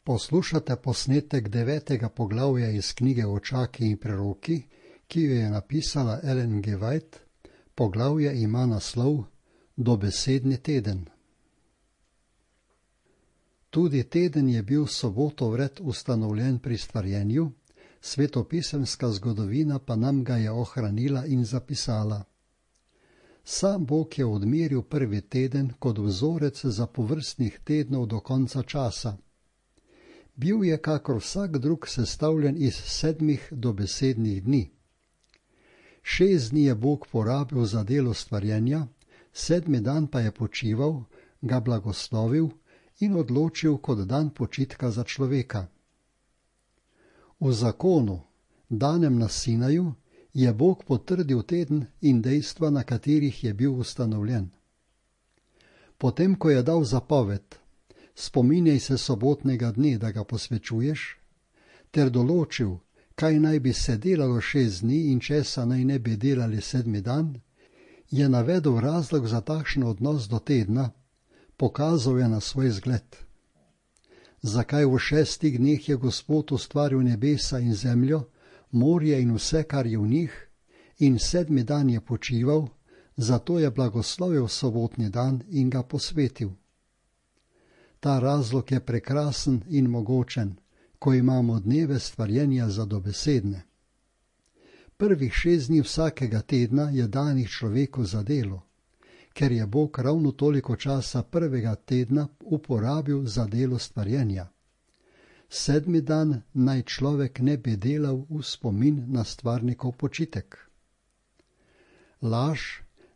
Poslušate posnetek 9. poglavja iz knjige Očaki in preroki, ki jo je napisala Ellen G. White. Poglavje ima naslov Dobesedni teden. Tudi teden je bil soboto vred ustanovljen pri stvarjenju, svetopisemska zgodovina pa nam ga je ohranila in zapisala. Sam Bog je odmeril prvi teden kot vzorec zapovrstnih tednov do konca časa. Bil je kakor vsak drug sestavljen iz 7 dobesednih dni. 6 dni je Bog porabil za delo stvarjenja, 7. dan pa je počival, ga blagoslovil in odločil kot dan počitka za človeka. V zakonu, danem na Sinaju, je Bog potrdil teden in dejstva, na katerih je bil ustanovljen. Potem, ko je dal zapoved, spominjaj se sobotnega dne, da ga posvečuješ, ter določil, kaj naj bi se delalo 6 dni in česa naj ne bi delali 7. dan, je navedel razlog za takšen odnos do tedna, pokazal je na svoj zgled. Zakaj v 6 dneh je Gospod ustvaril nebesa in zemljo, morje in vse, kar je v njih, in 7. dan je počival, zato je blagoslovil sobotni dan in ga posvetil. Ta razlog je prekrasen in mogočen, ko imamo dneve stvarjenja za dobesedne. Prvih 6 dni vsakega tedna je danih človeku za delo, ker je Bog ravno toliko časa prvega tedna uporabil za delo stvarjenja. 7. dan naj človek ne bi delal v spomin na stvarnikov počitek. Laž,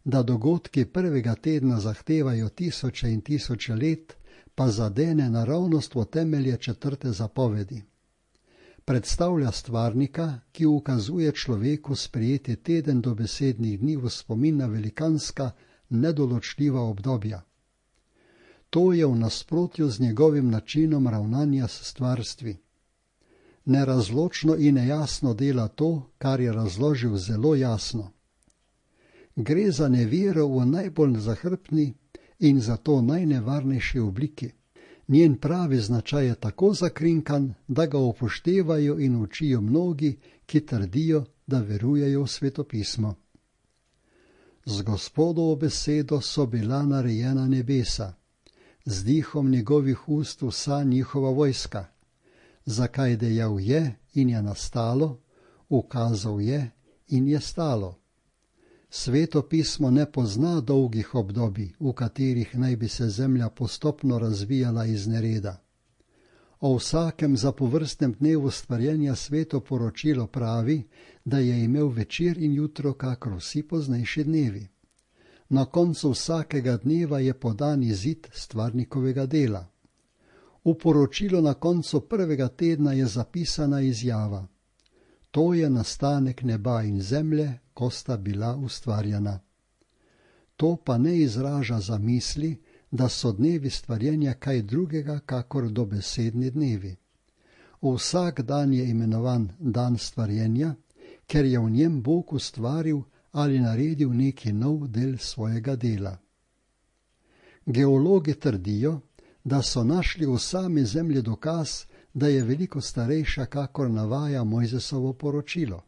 da dogodki prvega tedna zahtevajo tisoče in tisoče let, pa zadene naravnost v temelje 4. zapovedi. Predstavlja stvarnika, ki ukazuje človeku sprejeti teden dobesednih dni v spomin na velikanska, nedoločljiva obdobja. To je v nasprotju z njegovim načinom ravnanja s stvarstvi. Nerazločno in nejasno dela to, kar je razložil zelo jasno. Gre za nevero v najbolj zahrbtni in zato najnevarnejši obliki. Njen pravi značaj je tako zakrinkan, da ga upoštevajo in učijo mnogi, ki trdijo, da verujejo v svetopismo. Z Gospodovo besedo so bila narejena nebesa, z dihom njegovih ust vsa njihova vojska. Zakaj dejal je in je nastalo, ukazal je in je stalo. Sveto pismo ne pozna dolgih obdobij, v katerih naj bi se zemlja postopno razvijala iz nereda. O vsakem zapovrstnem dnevu stvarjenja sveto poročilo pravi, da je imel večer in jutro kakor vsi poznejši dnevi. Na koncu vsakega dneva je podan izid stvarnikovega dela. V poročilu na koncu prvega tedna je zapisana izjava. To je nastanek neba in zemlje, ko sta bila ustvarjena. To pa ne izraža zamisli, da so dnevi stvarjenja kaj drugega kakor dobesedni dnevi. Vsak dan je imenovan dan stvarjenja, ker je v njem Bog ustvaril ali naredil neki nov del svojega dela. Geologi trdijo, da so našli v sami zemlji dokaz, da je veliko starejša, kakor navaja Mojzesovo poročilo.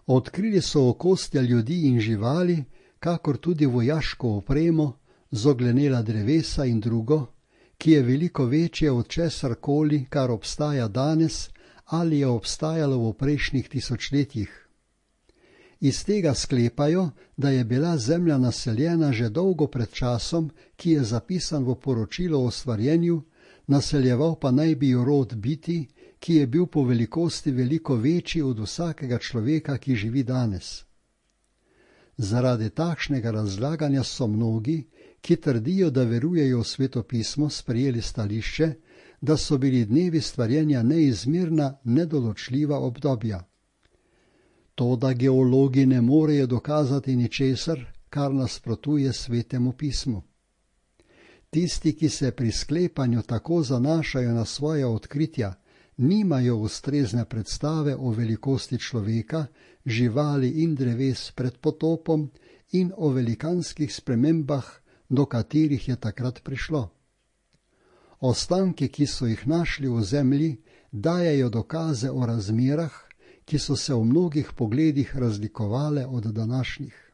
Odkrili so okostja ljudi in živali, kakor tudi vojaško opremo, zoglenela drevesa in drugo, ki je veliko večje od česarkoli, kar obstaja danes ali je obstajalo v prejšnjih tisočletjih. Iz tega sklepajo, da je bila zemlja naseljena že dolgo pred časom, ki je zapisan v poročilo o stvarjenju, naseljeval pa naj bi jo rod biti, ki je bil po velikosti veliko večji od vsakega človeka, ki živi danes. Zaradi takšnega razlaganja so mnogi, ki trdijo, da verujejo v svetopismo, sprejeli stališče, da so bili dnevi stvarjenja neizmerna, nedoločljiva obdobja. Toda geologi ne morejo dokazati ničesar, kar nasprotuje svetemu pismu. Tisti, ki se pri sklepanju tako zanašajo na svoja odkritja, nimajo ustrezne predstave o velikosti človeka, živali in dreves pred potopom in o velikanskih spremembah, do katerih je takrat prišlo. Ostanki, ki so jih našli v zemlji, dajejo dokaze o razmerah, ki so se v mnogih pogledih razlikovale od današnjih.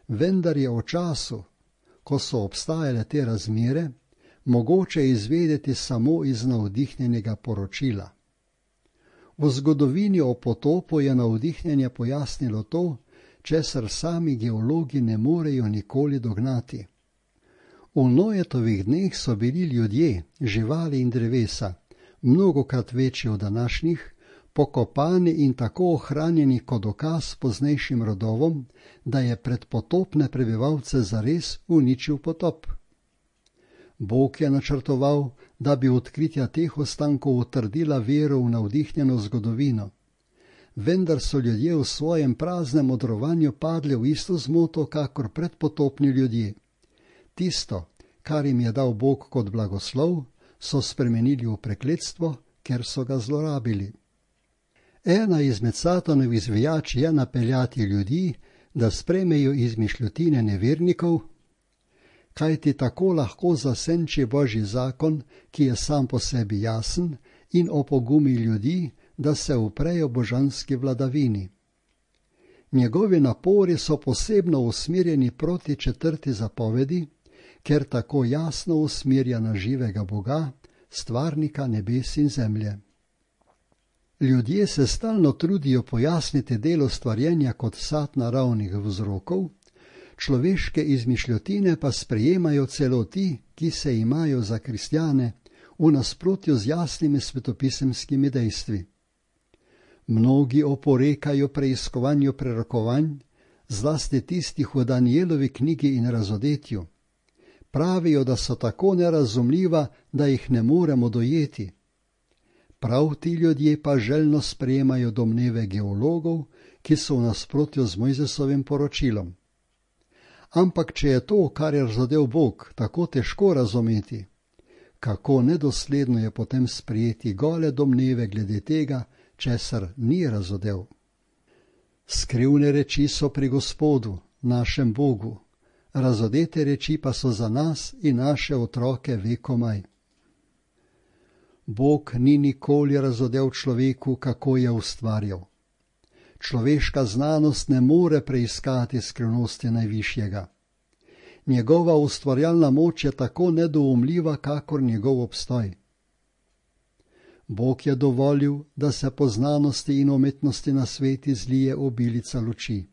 Vendar je o času, ko so obstajale te razmere, mogoče izvedeti samo iz navdihnjenega poročila. V zgodovini o potopu je navdihnjenje pojasnilo to, česar sami geologi ne morejo nikoli dognati. V Noetovih dneh so bili ljudje, živali in drevesa, mnogokrat večji od današnjih, pokopani in tako ohranjeni kot dokaz poznejšim rodovom, da je predpotopne prebivalce zares uničil potop. Bog je načrtoval, da bi odkritja teh ostankov utrdila vero v navdihnjeno zgodovino. Vendar so ljudje v svojem praznem modrovanju padli v isto zmoto, kakor predpotopni ljudje. Tisto, kar jim je dal Bog kot blagoslov, so spremenili v prekletstvo, ker so ga zlorabili. Ena izmed Satanovih zvijač je napeljati ljudi, da sprejmejo izmišljotine nevernikov, kajti tako lahko zasenči Božji zakon, ki je sam po sebi jasen, in opogumi ljudi, da se uprejo božanski vladavini. Njegovi napori so posebno usmerjeni proti 4. zapovedi, ker tako jasno usmerja na živega Boga, stvarnika nebes in zemlje. Ljudje se stalno trudijo pojasniti delo stvarjenja kot sad naravnih vzrokov, človeške izmišljotine pa sprejemajo celo ti, ki se imajo za kristjane, v nasprotju z jasnimi svetopisemskimi dejstvi. Mnogi oporekajo preiskovanju prerokovanj, zlasti tistih v Danielovi knjigi in Razodetju. Pravijo, da so tako nerazumljiva, da jih ne moremo dojeti. Prav ti ljudje pa željno sprejemajo domneve geologov, ki so v nasprotju z Mojzesovim poročilom. Ampak če je to, kar je razodel Bog, tako težko razumeti, kako nedosledno je potem sprejeti gole domneve glede tega, česar ni razodel. Skrivne reči so pri Gospodu, našem Bogu, razodete reči pa so za nas in naše otroke vekomaj. Bog ni nikoli razodel človeku, kako je ustvarjal. Človeška znanost ne more preiskati skrivnosti najvišjega. Njegova ustvarjalna moč je tako nedoumljiva, kakor njegov obstoj. Bog je dovolil, da se po znanosti in umetnosti na sveti zlije obilica luči.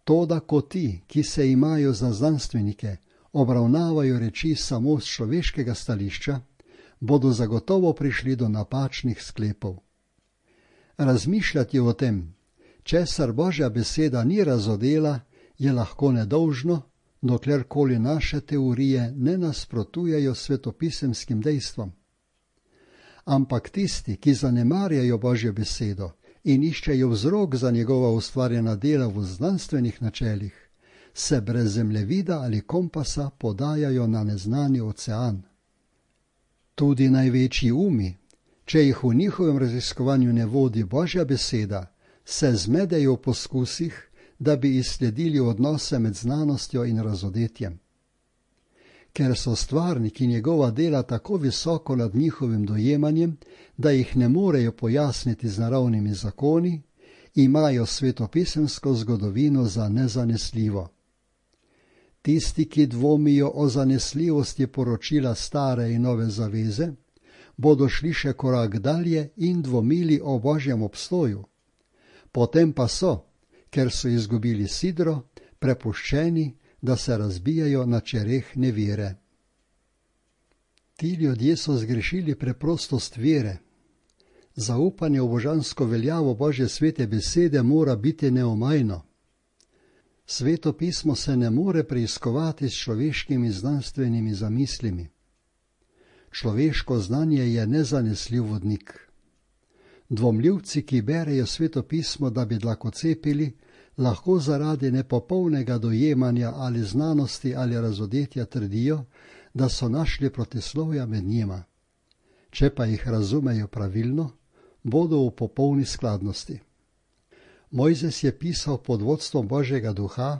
Toda ko ti, ki se imajo za znanstvenike, obravnavajo reči samo z človeškega stališča, bodo zagotovo prišli do napačnih sklepov. Razmišljati o tem, česar Božja beseda ni razodela, je lahko nedolžno, doklerkoli naše teorije ne nasprotujejo svetopisemskim dejstvom. Ampak tisti, ki zanemarjajo Božjo besedo in iščejo vzrok za njegova ustvarjena dela v znanstvenih načelih, se brez zemljevida ali kompasa podajajo na neznani ocean. Tudi največji umi, če jih v njihovem raziskovanju ne vodi Božja beseda, se zmedejo v poskusih, da bi izsledili odnose med znanostjo in razodetjem. Ker so stvarniki njegova dela tako visoko nad njihovim dojemanjem, da jih ne morejo pojasniti z naravnimi zakoni, imajo svetopisemsko zgodovino za nezanesljivo. Tisti, ki dvomijo o zanesljivosti poročila stare in nove zaveze, bodo šli še korak dalje in dvomili o Božjem obstoju. Potem pa so, ker so izgubili sidro, prepuščeni, da se razbijajo na čereh nevere. Ti ljudje so zgrešili preprostost vere. Zaupanje v božansko veljavo Božje svete besede mora biti neomajno. Sveto pismo se ne more preiskovati s človeškimi znanstvenimi zamislimi. Človeško znanje je nezanesljiv vodnik. Dvomljivci, ki berejo sveto pismo, da bi dlakocepili, lahko zaradi nepopolnega dojemanja ali znanosti ali razodetja trdijo, da so našli protislovja med njima. Če pa jih razumejo pravilno, bodo v popolni skladnosti. Mojzes je pisal pod vodstvom Božjega duha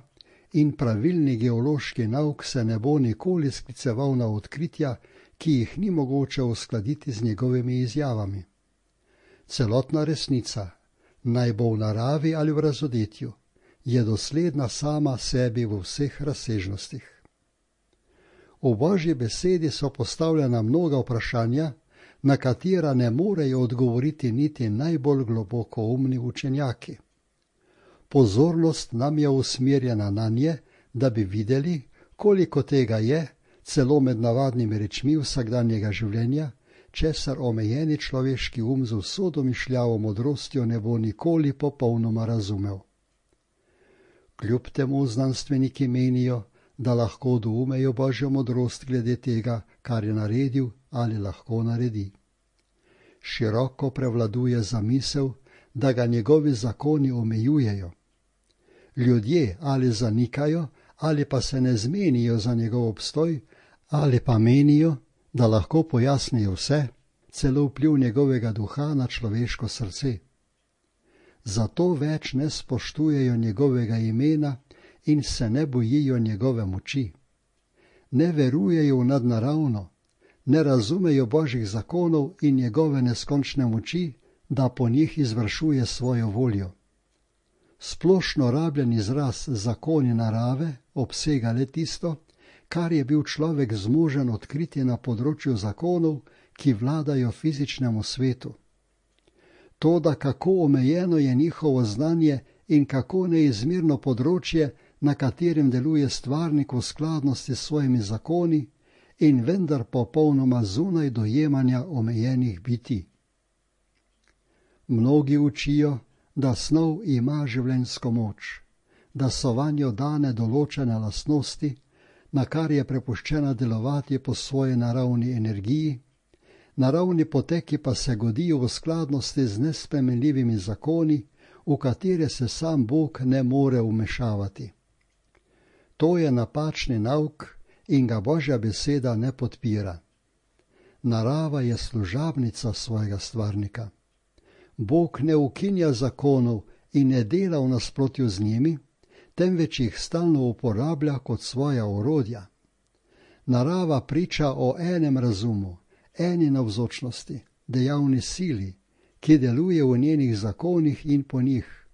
in pravilni geološki nauk se ne bo nikoli skliceval na odkritja, ki jih ni mogoče uskladiti z njegovimi izjavami. Celotna resnica, naj bo v naravi ali v razodetju, je dosledna sama sebi v vseh razsežnostih. V Božji besedi so postavljena mnoga vprašanja, na katera ne morejo odgovoriti niti najbolj globoko umni učenjaki. Pozornost nam je usmerjena na nje, da bi videli, koliko tega je, celo med navadnimi rečmi vsakdanjega življenja, česar omejeni človeški z vso domišljavo modrostjo ne bo nikoli popolnoma razumel. Kljub temu znanstveniki menijo, da lahko doumejo Božjo modrost glede tega, kar je naredil ali lahko naredi. Široko prevladuje zamisel, da ga njegovi zakoni omejujejo. Ljudje ali zanikajo, ali pa se ne zmenijo za njegov obstoj, ali pa menijo, da lahko pojasnijo vse, celo vpliv njegovega duha na človeško srce. Zato več ne spoštujejo njegovega imena in se ne bojijo njegove moči. Ne verujejo v nadnaravno, ne razumejo Božjih zakonov in njegove neskončne moči, da po njih izvršuje svojo voljo. Splošno rabljen izraz zakoni narave obsega le tisto, kar je bil človek zmožen odkriti na področju zakonov, ki vladajo fizičnemu svetu. To, da kako omejeno je njihovo znanje in kako neizmerno področje, na katerem deluje stvarnik v skladnosti s svojimi zakoni in vendar popolnoma zunaj dojemanja omejenih bitij. Mnogi učijo, da snov ima življenjsko moč, da so vanjo dane določene lastnosti, na kar je prepuščena delovati po svoji naravni energiji, naravni poteki pa se godijo v skladnosti z nespremenljivimi zakoni, v katere se sam Bog ne more vmešavati. To je napačni nauk in ga Božja beseda ne podpira. Narava je služabnica svojega stvarnika. Bog ne ukinja zakonov in ne dela v nasprotju z njimi, temveč jih stalno uporablja kot svoja orodja. Narava priča o enem razumu, eni navzočnosti, dejavni sili, ki deluje v njenih zakonih in po njih.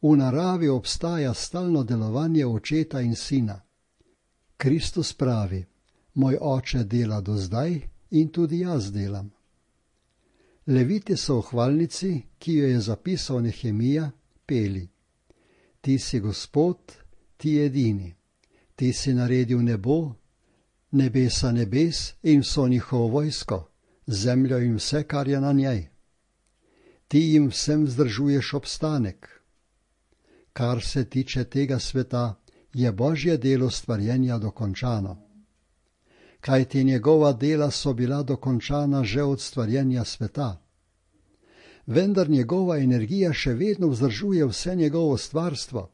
V naravi obstaja stalno delovanje očeta in sina. Kristus pravi, moj oče dela do zdaj in tudi jaz delam. Leviti so v hvalnici, ki jo je zapisal Nehemija, peli. Ti si Gospod, ti edini. Ti si naredil nebo, nebesa nebes in vso njihovo vojsko, zemljo in vse, kar je na njej. Ti jim vsem vzdržuješ obstanek. Kar se tiče tega sveta, je Božje delo stvarjenja dokončano. Kajti njegova dela so bila dokončana že od stvarjenja sveta. Vendar njegova energija še vedno vzdržuje vse njegovo stvarstvo.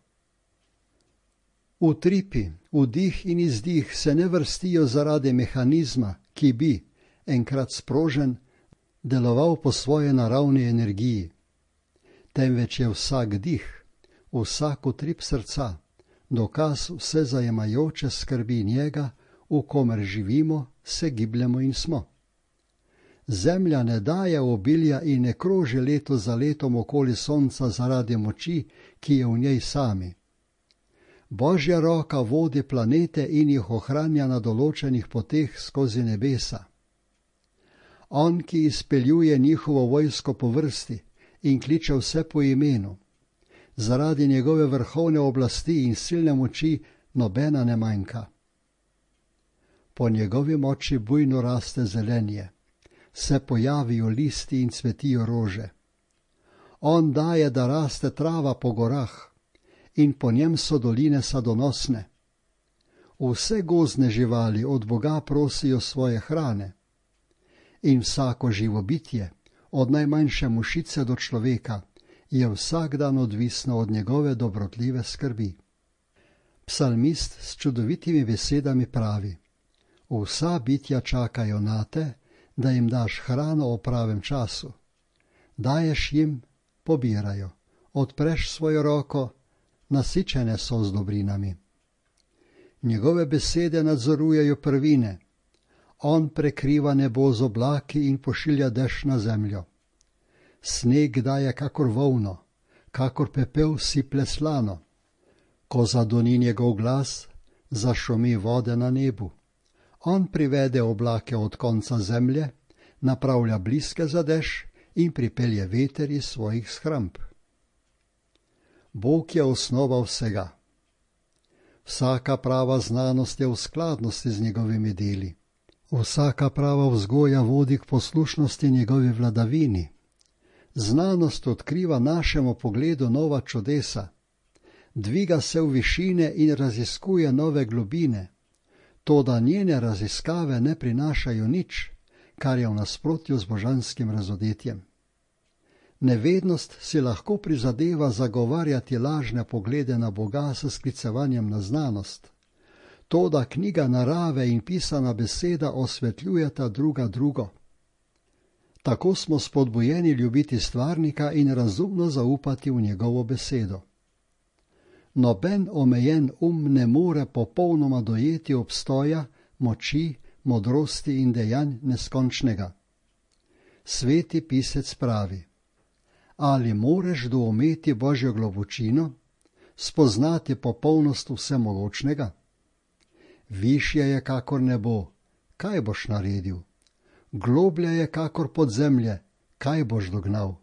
Utripi, vdih in izdih se ne vrstijo zaradi mehanizma, ki bi, enkrat sprožen, deloval po svoje naravni energiji. Temveč je vsak dih, vsak utrip srca, dokaz vse zajemajoče skrbi njega, v komer živimo, se gibljemo in smo. Zemlja ne daje obilja in ne kroži leto za letom okoli sonca zaradi moči, ki je v njej sami. Božja roka vodi planete in jih ohranja na določenih poteh skozi nebesa. On, ki izpeljuje njihovo vojsko po vrsti in kliče vse po imenu. Zaradi njegove vrhovne oblasti in silne moči nobena ne manjka. Po njegovi moči bujno raste zelenje, se pojavijo listi in cvetijo rože. On daje, da raste trava po gorah in po njem so doline sadonosne. Vse gozdne živali od Boga prosijo svoje hrane in vsako živo bitje, od najmanjše mušice do človeka, je vsak dan odvisno od njegove dobrotljive skrbi. Psalmist s čudovitimi besedami pravi: vsa bitja čakajo nate, da jim daš hrano o pravem času. Daješ jim, pobirajo, odpreš svojo roko, nasičene so z dobrinami. Njegove besede nadzorujejo prvine. On prekriva nebo z oblaki in pošilja dež na zemljo. Sneg daje kakor volno, kakor pepel siple slano. Ko zadoni njegov glas, zašumi vode na nebu. On privede oblake od konca zemlje, napravlja bliske za dež in pripelje veter iz svojih shramb. Bog je osnova vsega. Vsaka prava znanost je v skladnosti z njegovimi deli. Vsaka prava vzgoja vodi k poslušnosti njegovi vladavini. Znanost odkriva našemu pogledu nova čudesa. Dviga se v višine in raziskuje nove globine. Toda njene raziskave ne prinašajo nič, kar je v nasprotju z božanskim razodetjem. Nevednost si lahko prizadeva zagovarjati lažne poglede na Boga s sklicevanjem na znanost. Toda knjiga narave in pisana beseda osvetljujeta druga drugo. Tako smo spodbujeni ljubiti stvarnika in razumno zaupati v njegovo besedo. Noben omejen ne more popolnoma dojeti obstoja, moči, modrosti in dejanj neskončnega. Sveti pisec pravi: ali moreš doumeti Božjo globočino, spoznati popolnost vsemogočnega? Višje je kakor nebo, kaj boš naredil? Globlje je kakor podzemlje, kaj boš dognal?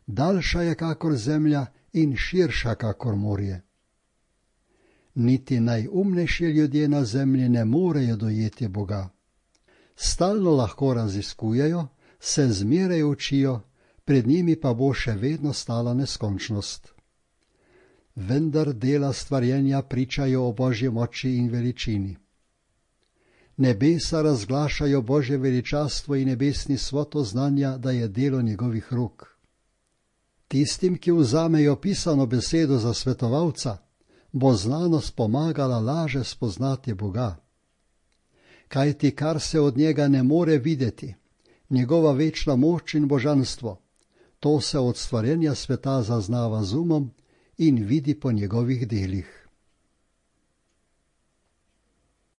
Daljša je kakor zemlja in širša kakor morje. Niti najumnejši ljudje na zemlji ne morejo dojeti Boga. Stalno lahko raziskujejo, se zmeraj učijo, pred njimi pa bo še vedno stala neskončnost. Vendar dela stvarjenja pričajo o Božji moči in veličini. Nebesa razglašajo Božje veličastvo in nebesni svoto znanja, da je delo njegovih rok. Tistim, ki vzamejo pisano besedo za svetovalca, bo znanost pomagala laže spoznati Boga. Kajti kar se od njega ne more videti, njegova večna moč in božanstvo, to se od stvarjenja sveta zaznava z umom in vidi po njegovih delih.